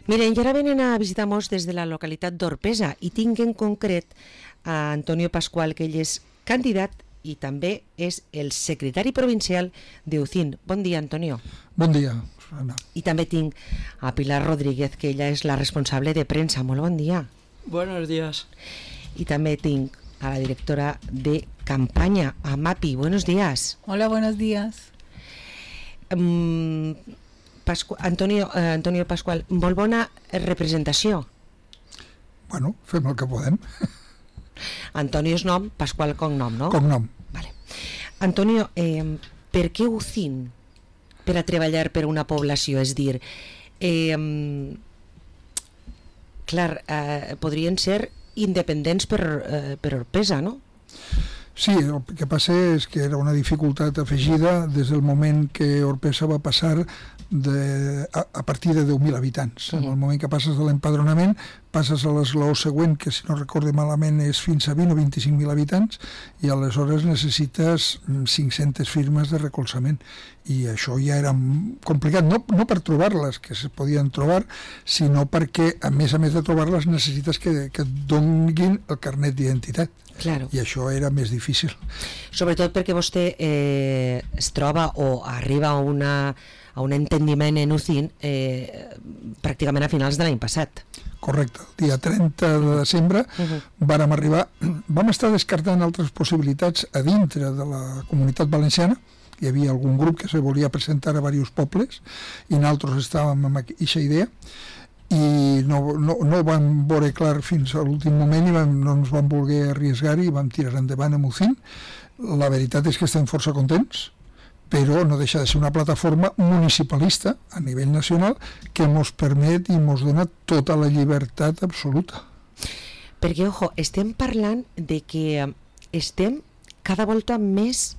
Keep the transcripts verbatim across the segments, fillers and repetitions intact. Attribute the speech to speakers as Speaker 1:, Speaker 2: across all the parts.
Speaker 1: Miren, i ara venen a visitar-nos des de la localitat d'Orpesa i tinc en concret a Antonio Pascual, que ell és candidat i també és el secretari provincial d'Eucín. Bon dia, Antonio.
Speaker 2: Bon dia, Ana.
Speaker 1: I també tinc a Pilar Rodríguez, que ella és la responsable de premsa. Molt bon dia.
Speaker 3: Buenos días.
Speaker 1: I també tinc a la directora de campanya, a Mapi. Buenos días.
Speaker 4: Hola, buenos días.
Speaker 1: Um, Pascu Antonio, eh, Antonio Pascual, molt bona representació.
Speaker 2: Bueno, fem el que podem.
Speaker 1: Antonio és nom, Pascual cognom, no?
Speaker 2: Cognom.
Speaker 1: Vale. Antonio, eh, per què Eucín per a treballar per una població? És dir, eh, clar, eh, podrien ser independents per, eh, per Orpesa, no?
Speaker 2: Sí, el que passa és que era una dificultat afegida des del moment que Orpesa va passar de, a, a partir de deu mil habitants. Uh-huh. En el moment que passes de l'empadronament, passes a l'esglaó següent, que si no recorde malament és fins a vint o vint-i-cinc mil habitants, i aleshores necessites cinc-centes firmes de recolzament. I això ja era complicat, no, no per trobar-les, que se podien trobar, sinó perquè, a més a més de trobar-les, necessites que, que et donin el carnet d'identitat.
Speaker 1: Claro.
Speaker 2: I això era més difícil.
Speaker 1: Sobretot perquè vostè eh, es troba o arriba a, una, a un entendiment en Eucín eh, pràcticament a finals de l'any passat.
Speaker 2: Correcte, el dia trenta de desembre uh-huh. vàrem arribar, vam estar descartant altres possibilitats a dintre de la Comunitat Valenciana. Hi havia algun grup que se volia presentar a diversos pobles i nosaltres estàvem amb aquesta idea i no, no, no ho vam veure clar fins a l'últim moment i vam, no ens vam voler arriesgar i vam tirar endavant amb Eucín. La veritat és que estem força contents, però no deixa de ser una plataforma municipalista a nivell nacional que ens permet i ens dona tota la llibertat absoluta.
Speaker 1: Perquè, ojo, estem parlant de que estem cada volta més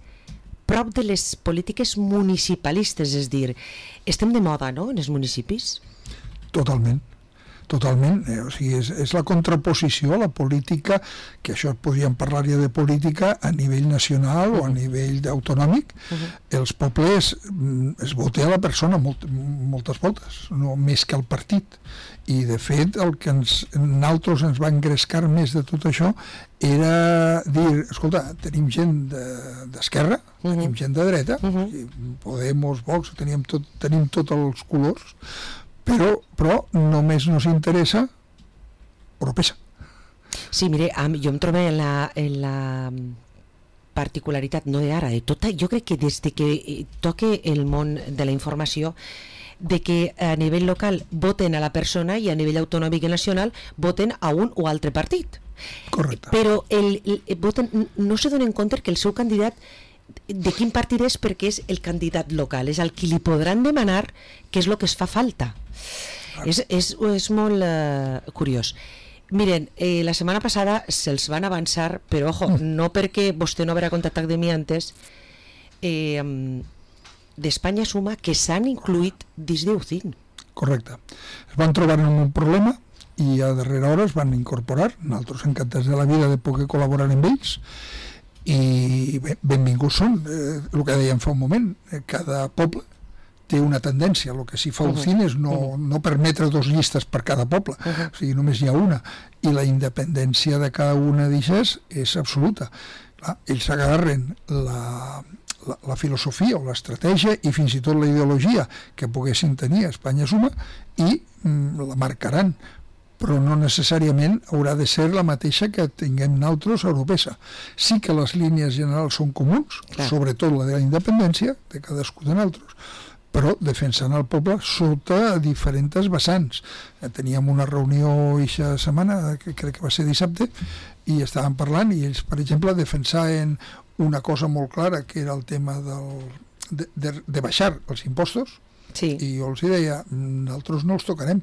Speaker 1: prop de les polítiques municipalistes, és dir, estem de moda, no?, en els municipis?
Speaker 2: Totalment, totalment. Eh, o sigui, és, és la contraposició a la política, que això podríem parlar ja de política a nivell nacional uh-huh. o a nivell autonòmic. Uh-huh. Els pobles es vota a la persona molt, moltes voltes, no més que al partit. I de fet el que ens, nosaltres ens va engrescar més de tot això era dir, escolta, tenim gent d'esquerra, de, uh-huh. tenim gent de dreta, uh-huh. Podemos, Vox, tenim tot, tenim tots els colors, però, però només nos interessa Orpesa.
Speaker 1: Sí, mire, jo em trobo en la, en la particularitat, no d'ara, de tota, jo crec que des de que toque el món de la informació, de que a nivell local voten a la persona i a nivell autonòmic i nacional voten a un o altre partit.
Speaker 2: Correcte.
Speaker 1: Però el, el, voten, no se donen compte que el seu candidat de quin partit és, perquè és el candidat local, és el qui li podran demanar què és el que es fa falta. Ah. És, és, és molt uh, curiós. Miren, eh, la setmana passada se'ls van avançar, però ojo, mm. no perquè vostè no haurà contactat de mi antes, eh, d'Espanya Suma, que s'han incluït dins d'Eucín.
Speaker 2: Correcte. Es van trobar en un problema i a darrera hora es van incorporar. Nosaltres encantats de la vida de poder col·laborar amb ells i bé, benvinguts són. Eh, el que dèiem fa un moment, eh, cada poble té una tendència. El que sí fa Eucín uh-huh. és no, uh-huh. no permetre dos llistes per cada poble, uh-huh. o sigui, només hi ha una, i la independència de cada una d'elles és absoluta. Clar, ells agarren la, la, la filosofia o l'estratègia i fins i tot la ideologia que poguessin tenir a Espanya Suma i mm, la marcaran, però no necessàriament haurà de ser la mateixa que tinguem nosaltres a Orpesa. Sí que les línies generals són comuns, clar. Sobretot la de la independència de cadascú de nosaltres, però defensant el poble sota diferents vessants. Teníem una reunió aquesta setmana, que crec que va ser dissabte, i estàvem parlant, i ells, per exemple, defensaven una cosa molt clara, que era el tema del, de, de, de baixar els impostos, sí. I jo els deia, nosaltres no els tocarem,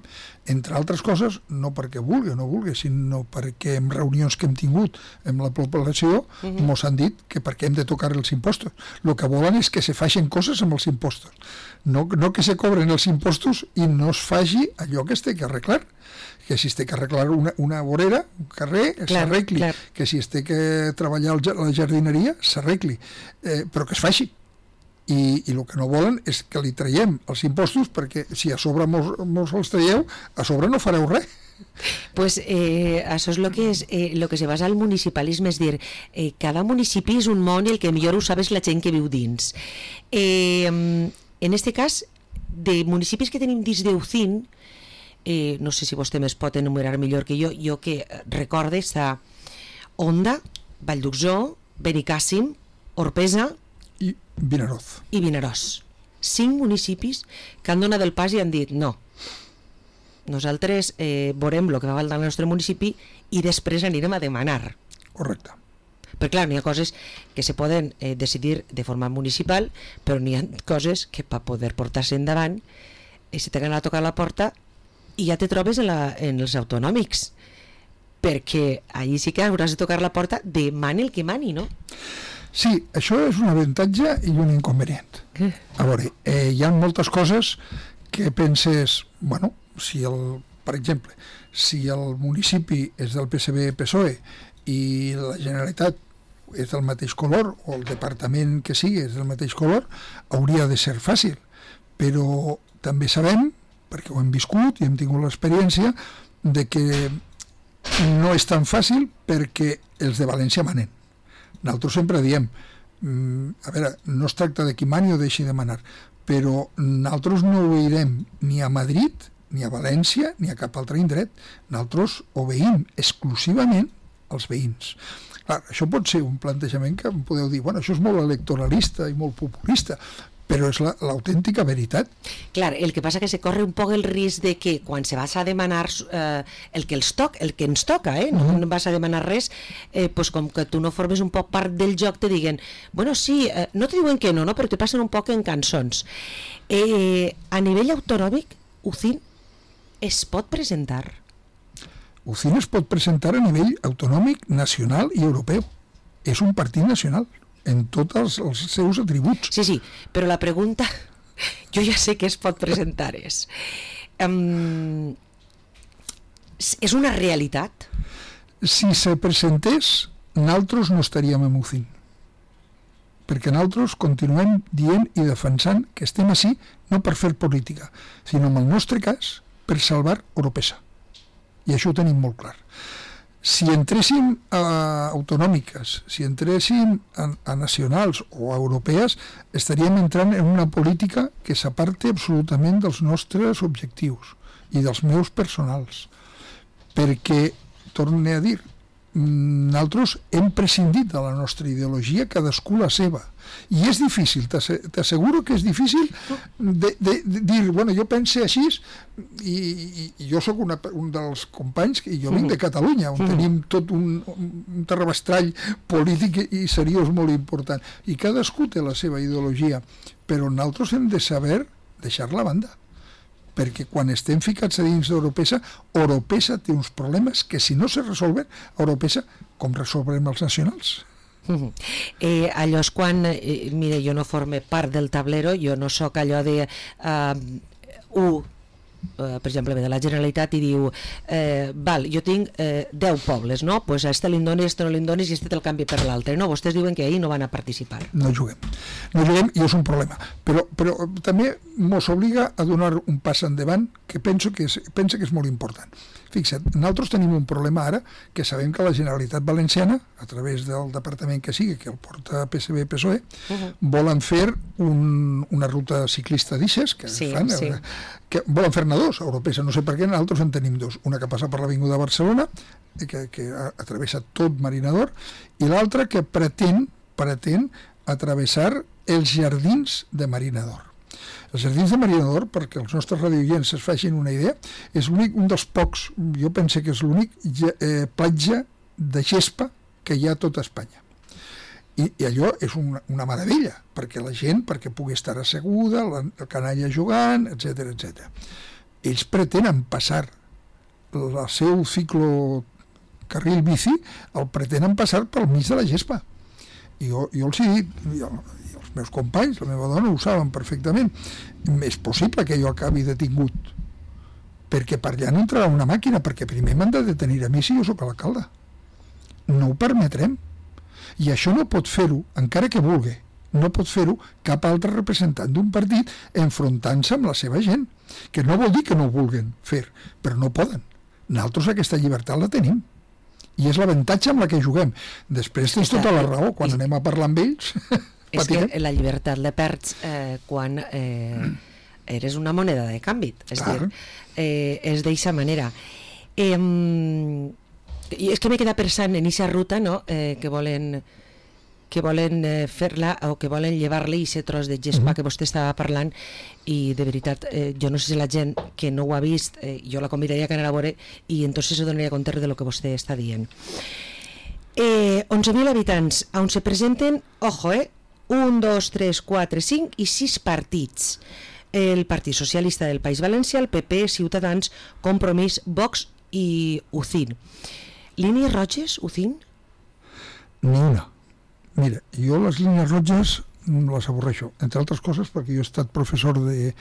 Speaker 2: entre altres coses, no perquè vulgui o no vulgui, sinó perquè en reunions que hem tingut amb la població uh-huh. mos han dit que perquè hem de tocar els impostos. El que volen és que se facin coses amb els impostos, no, no que se cobren els impostos i no es faci allò que es té que arreglar, que si es té que arreglar una, una vorera, un carrer, s'arregli, que si es té que treballar la jardineria, s'arregli, eh, però que es faci. i, i el que no volen és que li traiem els impostos, perquè si a sobre mos, mos els traieu, a sobre no fareu res.
Speaker 1: Pues eh, això és el que és eh, lo que se basa al municipalisme, és dir, eh, cada municipi és un món i el que millor ho sabes la gent que viu dins. Eh, en este cas, de municipis que tenim dins d'Eucín, eh, no sé si vostè més pot enumerar millor que jo, jo que recorde està Onda, Vallduxó, Benicàssim, Orpesa
Speaker 2: i Vinaròs.
Speaker 1: I Vinaròs. Cinc municipis que han donat el pas i han dit no, nosaltres eh, veurem el que va valdre al nostre municipi i després anirem a demanar.
Speaker 2: Correcte.
Speaker 1: Perquè clar, n'hi ha coses que se poden eh, decidir de forma municipal, però n'hi ha coses que per poder portar-se endavant eh, se t'han a tocar la porta i ja te trobes en, la, en els autonòmics, perquè allí sí que hauràs de tocar la porta de mani el que mani, no?
Speaker 2: Sí, això és un avantatge i un inconvenient. A veure, eh, hi ha moltes coses que penses, bueno, si el, per exemple, si el municipi és del P S B P S O E i la Generalitat és del mateix color, o el departament que sigui és del mateix color, hauria de ser fàcil. Però també sabem, perquè ho hem viscut i hem tingut l'experiència, de que no és tan fàcil perquè els de València manen. Nosaltres sempre diem, a veure, no es tracta de qui mani o deixi de manar, però nosaltres no obeirem ni a Madrid, ni a València, ni a cap altre indret. Nosaltres obeïm exclusivament als veïns. Clar, això pot ser un plantejament que em podeu dir, bueno, això és molt electoralista i molt populista, però és l'autèntica veritat.
Speaker 1: Clar, el que passa que se corre un poc el risc de que quan se vas a demanar eh, el que els toca, el que ens toca, eh, no mm. vas a demanar res, eh, pues com que tu no formes un poc part del joc, te diguen, bueno, sí, eh, no te diuen que no, no, però te passen un poc en cançons. Eh, a nivell autonòmic, Ucín es pot presentar?
Speaker 2: Ucín es pot presentar a nivell autonòmic, nacional i europeu. És un partit nacional en tots els, els seus atributs.
Speaker 1: Sí, sí, però la pregunta, jo ja sé que es pot presentar, és um, és una realitat?
Speaker 2: Si se presentés, nosaltres no estaríem en Ucín, perquè nosaltres continuem dient i defensant que estem així no per fer política, sinó en el nostre cas per salvar Oropesa, i això ho tenim molt clar. Si entréssim a autonòmiques, si entréssim a, a nacionals o a europees, estaríem entrant en una política que s'aparte absolutament dels nostres objectius i dels meus personals. Perquè, torne a dir, nosaltres hem prescindit de la nostra ideologia, cadascú la seva. I és difícil, t'asseguro que és difícil de, de, de dir, bueno, jo pense així, i, i, i jo sóc una, un dels companys, i jo vinc de Catalunya, on mm. tenim tot un, un terrabastrall polític i seriós molt important. I cadascú té la seva ideologia, però nosaltres hem de saber deixar-la a banda, perquè quan estem ficats a dins d'Oropesa, Oropesa té uns problemes que si no se resolven, Oropesa, com resolvrem els nacionals?
Speaker 1: Uh-huh. Eh, allò és quan, eh, mira, jo no forme part del tablero, jo no sóc allò de uh, u, uh, per exemple, de la Generalitat i diu, eh, val, jo tinc eh, deu pobles, no? Pues a este li donis, a este no li donis i a este te'l canvi per l'altre, no? Vostès diuen que ahir no van a participar.
Speaker 2: No juguem, no juguem i és un problema, però, però també mos obliga a donar un pas endavant que penso que és, penso que és molt important. Fixa't, nosaltres tenim un problema ara que sabem que la Generalitat Valenciana, a través del departament que sigui, que el porta P S B P S O E, uh-huh. volen fer un, una ruta ciclista d'Ixes, que
Speaker 1: sí,
Speaker 2: fan,
Speaker 1: sí.
Speaker 2: que volen fer-ne dos, a Oropesa, no sé per què, nosaltres en tenim dos. Una que passa per l'Avinguda de Barcelona, que, que atravessa tot Marinador, i l'altra que pretén, pretén atravessar els jardins de Marinador. Els jardins de Marinador, perquè els nostres radioients es facin una idea, és l'únic, un dels pocs, jo penso que és l'únic eh, platja de gespa que hi ha a tota Espanya. I, i allò és una, una meravella, perquè la gent, perquè pugui estar asseguda, la, el canalla jugant, etcètera, etcètera. Ells pretenen passar el seu ciclo carril bici, el pretenen passar pel mig de la gespa. I jo, jo els he dit, jo, els meus companys, la meva dona ho saben perfectament, és possible que jo acabi detingut, perquè per allà no entrarà una màquina, perquè primer m'han de detenir a mi si jo sóc l'alcalde. No ho permetrem. I això no pot fer-ho, encara que vulgui, no pot fer-ho cap altre representant d'un partit enfrontant-se amb la seva gent, que no vol dir que no ho vulguin fer, però no poden. Nosaltres aquesta llibertat la tenim i és l'avantatge amb la que juguem. Després tens tota la raó, quan anem a parlar amb ells
Speaker 1: és que la llibertat la perds eh, quan eh, eres una moneda de canvi, és dir, eh, és d'eixa manera. Eh, i és que m'he quedat pensant en aquesta ruta, no?, eh, que volen que volen eh, fer-la o que volen llevar-li aquest tros de gespa uh-huh. que vostè estava parlant, i de veritat eh, jo no sé si la gent que no ho ha vist, eh, jo la convidaria que anara a veure i entonces se donaria compte de lo que vostè està dient. Eh, onze mil habitants on se presenten, ojo, eh, un, dos, tres, quatre, cinc i sis partits. El Partit Socialista del País Valencià, el P P, Ciutadans, Compromís, Vox i U C I N. Línies roges, U C I N?
Speaker 2: Ni una. Mira, jo les línies roges les avorreixo, entre altres coses perquè jo he estat professor de,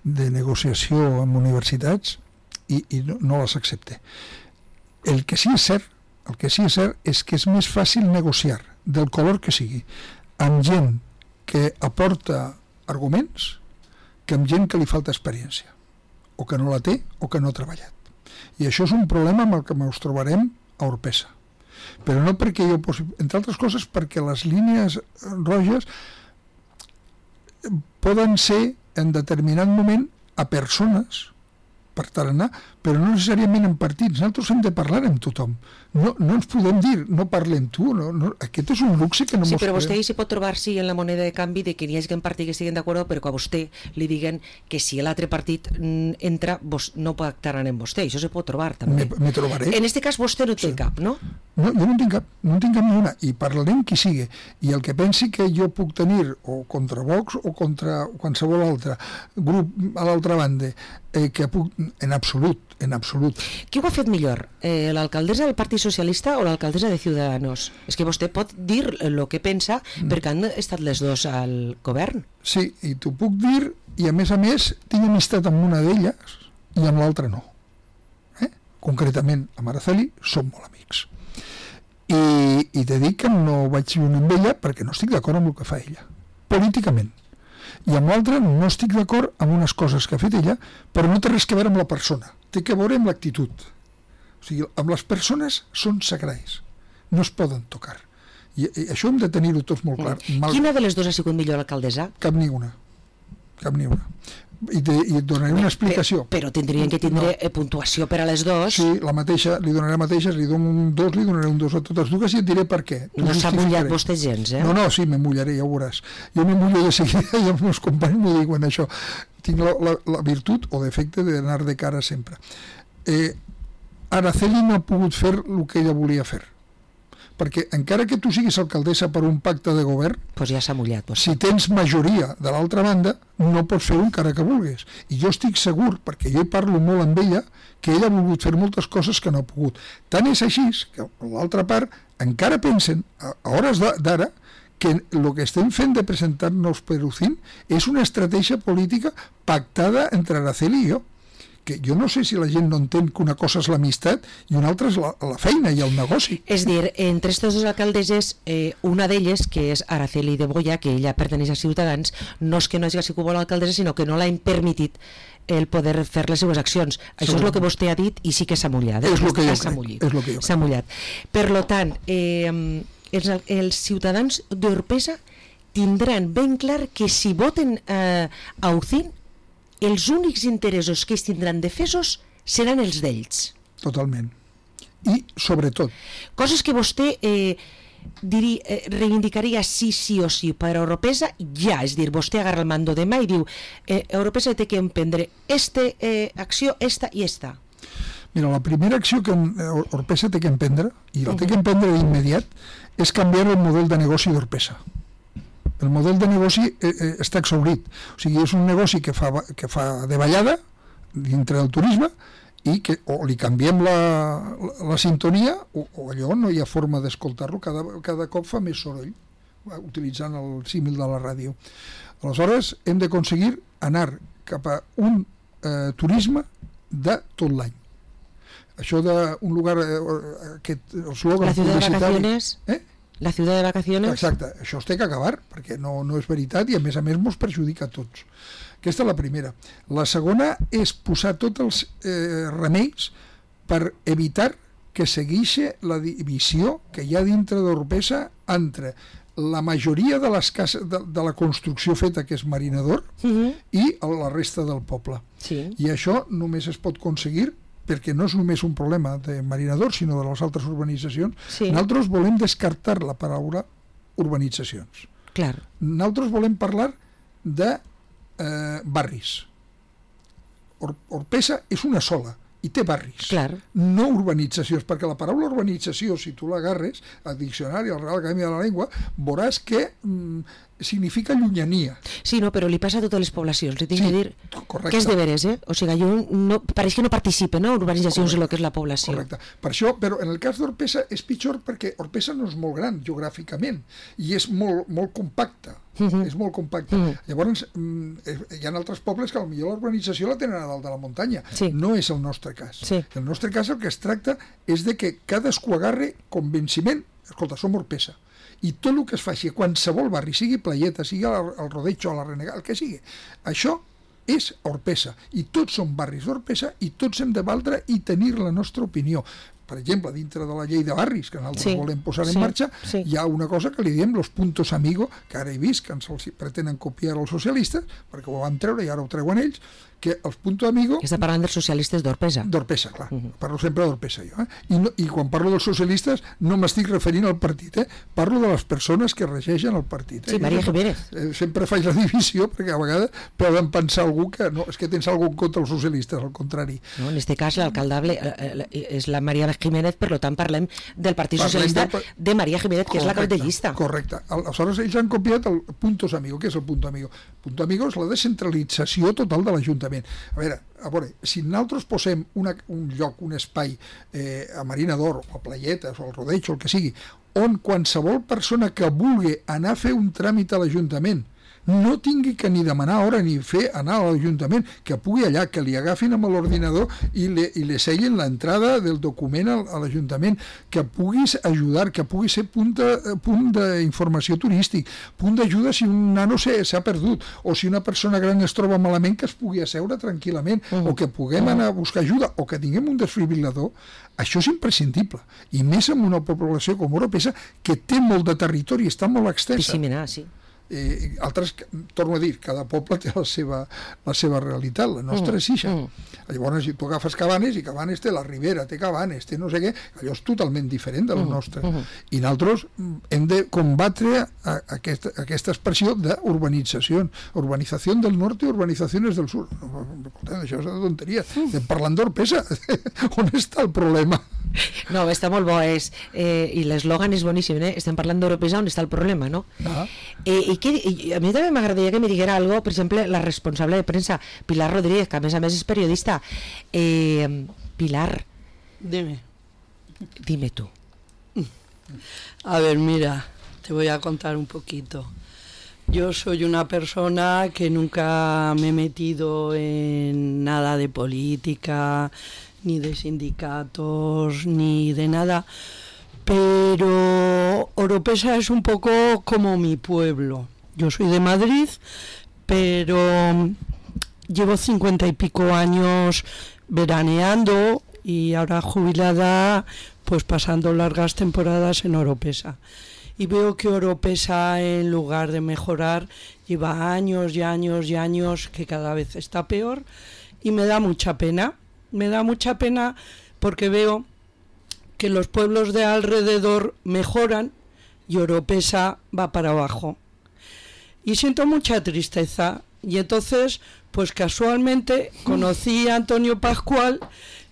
Speaker 2: de negociació en universitats i, i no, no les accepte. El que sí és cert, el que sí és cert és que és més fàcil negociar, del color que sigui, amb gent que aporta arguments que amb gent que li falta experiència, o que no la té o que no ha treballat. I això és un problema amb el que ens trobarem a Orpesa. Però no perquè jo posi... entre altres coses perquè les línies roges poden ser en determinat moment a persones per tarannà, però no necessàriament en partits. Nosaltres hem de parlar amb tothom. No, no ens podem dir, no parle amb tu. No, no, aquest és un luxe que no
Speaker 1: sí,
Speaker 2: mos
Speaker 1: però vostè
Speaker 2: podem.
Speaker 1: s'hi pot trobar sí, en la moneda de canvi de que n'hi hagi un partit que estiguen d'acord, però que a vostè li diguen que si l'altre partit entra vos, no pactaran amb vostè. Això se pot trobar també.
Speaker 2: Me, me trobaré.
Speaker 1: En aquest cas vostè no té sí. cap, no?
Speaker 2: No, jo no en tinc cap, no en tinc cap ni una, i parlarem qui sigui, i el que pensi que jo puc tenir o contra Vox o contra qualsevol altre grup a l'altra banda, eh, que puc, en absolut, en absolut.
Speaker 1: Qui ho ha fet millor, eh, l'alcaldessa del Partit Socialista o l'alcaldessa de Ciudadanos? És que vostè pot dir el que pensa mm. perquè han estat les dues al govern.
Speaker 2: Sí, i t'ho puc dir, i a més a més tinc amistat amb una d'elles i amb l'altra no. Eh? Concretament, amb Araceli som molt amics. I, i te dic que no vaig unir amb ella perquè no estic d'acord amb el que fa ella, políticament. I amb l'altra no estic d'acord amb unes coses que ha fet ella, però no té res que veure amb la persona, té que veure amb l'actitud. O sigui, amb les persones són sagrats, no es poden tocar. I, i això hem de tenir-ho tots molt clar.
Speaker 1: Mal... Quina de les dues ha sigut millor alcaldessa?
Speaker 2: Cap ni una, cap ni una. I, te, i et donaré una explicació.
Speaker 1: Però, però tindrien que tindre no. puntuació per a les dues.
Speaker 2: Sí, la mateixa, li donaré la mateixa, li dono un dos, li donaré un dos a totes dues i et diré per què.
Speaker 1: No s'ha mullat vostè gens, eh?
Speaker 2: No, no, sí, me mullaré, ja ho veuràs. Jo me mullo de seguida i els meus companys m'ho diuen això. Tinc la, la, la virtut o defecte d'anar de cara sempre. Eh, Araceli no ha pogut fer el que ella volia fer. Perquè encara que tu siguis alcaldessa per un pacte de govern,
Speaker 1: pues ja s'ha mullat, pues.
Speaker 2: Si tens majoria de l'altra banda, no pots fer-ho encara que vulguis. I jo estic segur, perquè jo hi parlo molt amb ella, que ella ha volgut fer moltes coses que no ha pogut. Tant és així que l'altra part encara pensen, a hores d'ara, que el que estem fent de presentar-nos per U C I N és una estratègia política pactada entre Araceli i jo. Que jo no sé si la gent no entén que una cosa és l'amistat i una altra és la, la feina i el negoci.
Speaker 1: És dir, entre aquestes dues alcaldesses, eh, una d'elles, que és Araceli de Boya, que ella perteneix a Ciutadans, no és que no hagi sigut bona alcaldessa, sinó que no l'ha permitit el poder fer les seues accions. Això és el que vostè ha dit i sí que s'ha mullat.
Speaker 2: Eh? És el que jo crec.
Speaker 1: S'ha mullat. Per tant, eh, els, els ciutadans d'Orpesa tindran ben clar que si voten eh, a U C I N els únics interessos que es tindran defesos seran els d'ells.
Speaker 2: Totalment. I, sobretot...
Speaker 1: Coses que vostè eh, diri, eh, reivindicaria sí, sí o sí per a Oropesa, ja, és dir, vostè agarra el mando demà i diu eh, Oropesa té que emprendre esta eh, acció, esta i esta.
Speaker 2: Mira, la primera acció que Oropesa té que emprendre, i la uh-huh. té que emprendre d'immediat, és canviar el model de negoci d'Orpesa. El model de negoci eh, eh, està exhaurit. O sigui, és un negoci que fa, que fa de ballada dintre del turisme i que o li canviem la, la, la sintonia o, o allò no hi ha forma d'escoltar-lo, cada, cada cop fa més soroll, utilitzant el símil de la ràdio. Aleshores, hem d'aconseguir anar cap a un eh, turisme de tot l'any. Això d'un lugar, eh, aquest eslògan
Speaker 1: publicitari... La ciutat de vacaciones...
Speaker 2: Eh?
Speaker 1: La ciutat de vacaciones...
Speaker 2: Exacte, això es té que acabar, perquè no, no és veritat i a més a més mos perjudica a tots. Aquesta és la primera. La segona és posar tots els eh, remeis per evitar que segueixi la divisió que hi ha dintre d'Oropesa entre la majoria de les cases de, de la construcció feta, que és Marinador, uh-huh. i la resta del poble.
Speaker 1: Sí.
Speaker 2: I això només es pot aconseguir perquè no és només un problema de Marinador, sinó de les altres urbanitzacions. Sí. Nosaltres volem descartar la paraula urbanitzacions.
Speaker 1: Clar.
Speaker 2: Nosaltres volem parlar de eh, barris. Or, Orpesa és una sola i té barris,
Speaker 1: clar.
Speaker 2: No urbanitzacions, perquè la paraula urbanització, si tu l'agarres al diccionari, al Real Acadèmia de la Llengua, veuràs que mm, significa llunyania.
Speaker 1: Sí, no, però li passa a totes les poblacions, li tinc
Speaker 2: sí,
Speaker 1: que dir
Speaker 2: correcte.
Speaker 1: Que és de veres, eh? O sigui, jo no, pareix que no participe, no?, urbanitzacions en el que és la població.
Speaker 2: Correcte. Per això, però en el cas d'Orpesa és pitjor perquè Orpesa no és molt gran geogràficament i és molt, molt compacta. Uh-huh. És molt compacte. Uh-huh. Llavors, hi ha altres pobles que potser la urbanització la tenen a dalt de la muntanya.
Speaker 1: Sí.
Speaker 2: No és el nostre cas.
Speaker 1: Sí.
Speaker 2: El nostre cas el que es tracta és de que cadascú agarre convenciment, escolta, som Orpesa, i tot el que es faci a qualsevol barri, sigui Playeta, sigui el, el Rodeig o la Renegada, el que sigui, això és Orpesa, i tots són barris d'Orpesa i tots hem de valdre i tenir la nostra opinió. Per exemple, dintre de la llei de barris que nosaltres sí, volem posar en sí, marxa, sí. Hi ha una cosa que li diem los puntos amigo, que ara he vist que ens els pretenen copiar els socialistes, perquè ho van treure i ara ho treuen ells, que els puntos amigo...
Speaker 1: Està parlant dels socialistes d'Orpesa.
Speaker 2: D'Orpesa, clar. Uh-huh. Parlo sempre d'Orpesa, jo. Eh? I, no, I quan parlo dels socialistes no m'estic referint al partit, eh? Parlo de les persones que regeixen el partit. Eh?
Speaker 1: Sí, María Jiménez.
Speaker 2: Eh, sempre faig la divisió, perquè a vegades poden pensar algú que no, és que tens algú contra els socialistes, al contrari.
Speaker 1: No, en este cas l'alcaldable eh, és la María Jiménez, per tant parlem del Partit parlem Socialista del... de María Jiménez, que correcte, és la cap de llista.
Speaker 2: Correcte. Aleshores ells han copiat el puntos amigo. Què és el punto amigo? Punto amigo és la descentralització total de l'Ajuntament. A veure, a veure, si nosaltres posem una, un lloc, un espai eh, a Marinador o a Playetes o al Rodeig o el que sigui, on qualsevol persona que vulgui anar a fer un tràmit a l'Ajuntament no tingui que ni demanar hora ni fer anar a l'Ajuntament, que pugui allà, que li agafin amb l'ordinador i li, i li seguin l'entrada del document a, a l'Ajuntament, que puguis ajudar, que pugui ser punt de, punt d'informació turístic, punt d'ajuda si un nano s'ha perdut, o si una persona gran es troba malament, que es pugui asseure tranquil·lament, uh-huh. o que puguem anar a buscar ajuda, o que tinguem un desfibrilador. Això és imprescindible, i més en una població com Oropesa, que té molt de territori, està molt extensa.
Speaker 1: Pissiminar, sí.
Speaker 2: Eh, altres, torno a dir, cada poble té la seva, la seva realitat, la nostra mm, és ixa. Mm. Llavors, si tu agafes Cabanes, i Cabanes té la Ribera, té Cabanes, té no sé què, allò és totalment diferent de lo mm, nostre. Mm. I nosaltres hem de combatre a, a aquesta, a aquesta expressió d'urbanització, urbanització del nord i urbanitzacions del sud. Això és una tonteria. Estem parlant d'Orpesa. On està el problema?
Speaker 1: No, està molt bo, és, eh, i l'eslògan és boníssim, eh? Estem parlant d'Oropesa, on està el problema, no? Ah. Eh, i, que, i a mi també m'agradaria que me diguera algo, per exemple, la responsable de premsa, Pilar Rodríguez, que a més a més és periodista. Eh, Pilar.
Speaker 3: Dime.
Speaker 1: Dime tú.
Speaker 3: A ver, mira, te voy a contar un poquito. Yo soy una persona que nunca me he metido en nada de política, ni de sindicatos, ni de nada, pero Oropesa es un poco como mi pueblo. Yo soy de Madrid, pero llevo cincuenta y pico años veraneando y ahora jubilada, pues pasando largas temporadas en Oropesa. Y veo que Oropesa, en lugar de mejorar, lleva años y años y años que cada vez está peor, y me da mucha pena. Me da mucha pena porque veo que los pueblos de alrededor mejoran y Oropesa va para abajo. Y siento mucha tristeza. Y entonces, pues casualmente conocí a Antonio Pascual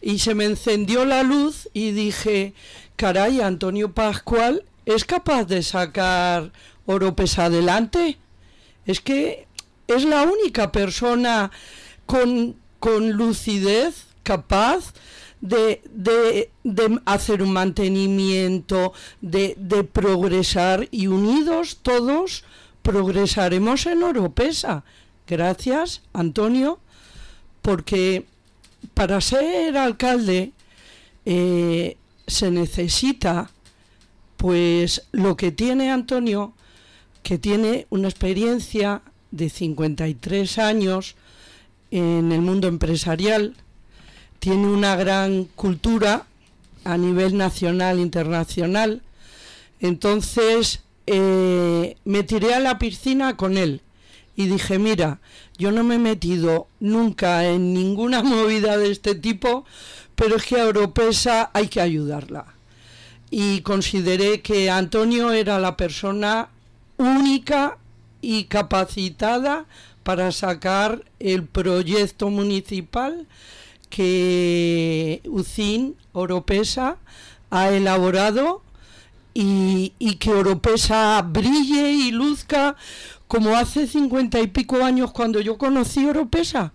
Speaker 3: y se me encendió la luz y dije, caray, Antonio Pascual es capaz de sacar Oropesa adelante. Es que es la única persona con, con lucidez capaz de, de, de hacer un mantenimiento, de, de progresar, y unidos todos progresaremos en Oropesa. Gracias, Antonio, porque para ser alcalde eh, se necesita Pues lo que tiene Antonio, que tiene una experiencia de cincuenta y tres años en el mundo empresarial, tiene una gran cultura a nivel nacional e internacional. Entonces eh, me tiré a la piscina con él y dije, mira, yo no me he metido nunca en ninguna movida de este tipo, pero es que a Oropesa hay que ayudarla. Y consideré que Antonio era la persona única y capacitada para sacar el proyecto municipal que U C I N Oropesa ha elaborado y, y que Oropesa brille y luzca como hace cincuenta y pico años cuando yo conocí Oropesa.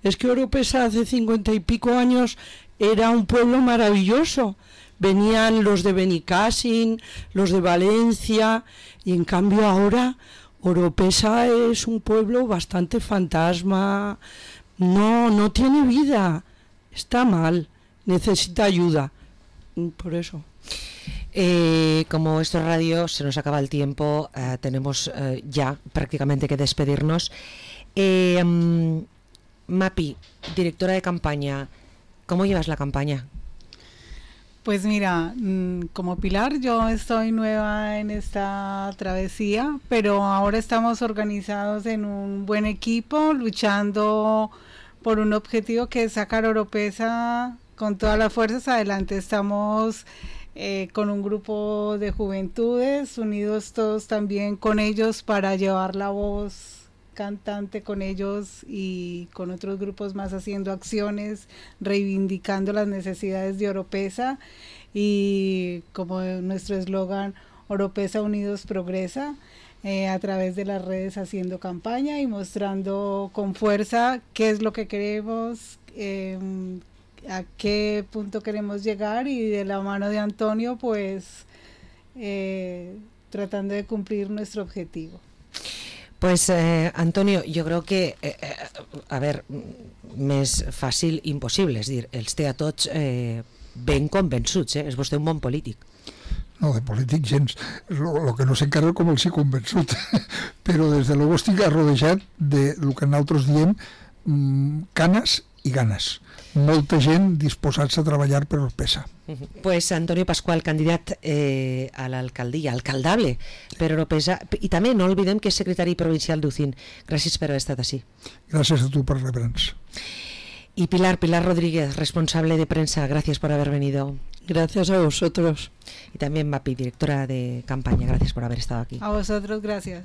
Speaker 3: Es que Oropesa hace cincuenta y pico años era un pueblo maravilloso. Venían los de Benicàssim, los de Valencia, y en cambio ahora Oropesa es un pueblo bastante fantasma, no, no tiene vida, está mal, necesita ayuda, por eso.
Speaker 1: Eh, como esto es radio, se nos acaba el tiempo, eh, tenemos eh, ya prácticamente que despedirnos. Eh, um, Mapi, directora de campaña, ¿cómo llevas la campaña?
Speaker 4: Pues mira, como Pilar, yo estoy nueva en esta travesía, pero ahora estamos organizados en un buen equipo, luchando por un objetivo que es sacar Oropesa con todas las fuerzas adelante. Estamos eh, con un grupo de juventudes, unidos todos también con ellos para llevar la voz cantante con ellos y con otros grupos más, haciendo acciones, reivindicando las necesidades de Oropesa, y como nuestro eslogan, Oropesa Unidos Progresa, eh, a través de las redes haciendo campaña y mostrando con fuerza qué es lo que queremos, eh, a qué punto queremos llegar, y de la mano de Antonio pues eh, tratando de cumplir nuestro objetivo.
Speaker 1: Pues eh, Antonio, jo crec que eh, eh, a veure, més fàcil impossible, és dir, els té a tots eh, ben convençuts, eh? És vostè un bon polític.
Speaker 2: No, de polític gens, lo, lo que no sé encara com els he convençut, però des de luego estic arrodejat de lo que nosaltres diem mmm, canes i ganes, molta gent disposats a treballar per Oropesa.
Speaker 1: Uh-huh. Pues Antonio Pascual, candidat eh, a l'alcaldia, alcaldable per Oropesa, i també no olvidem que és secretari provincial d'U C I N. Gràcies per haver estat així.
Speaker 2: Gràcies a tu per rebre'ns.
Speaker 1: Y Pilar, Pilar Rodríguez, responsable de prensa, gracias por haber venido.
Speaker 3: Gracias a vosotros.
Speaker 1: Y también Mapi, directora de campaña, gracias por haber estado aquí.
Speaker 4: A vosotros, gracias.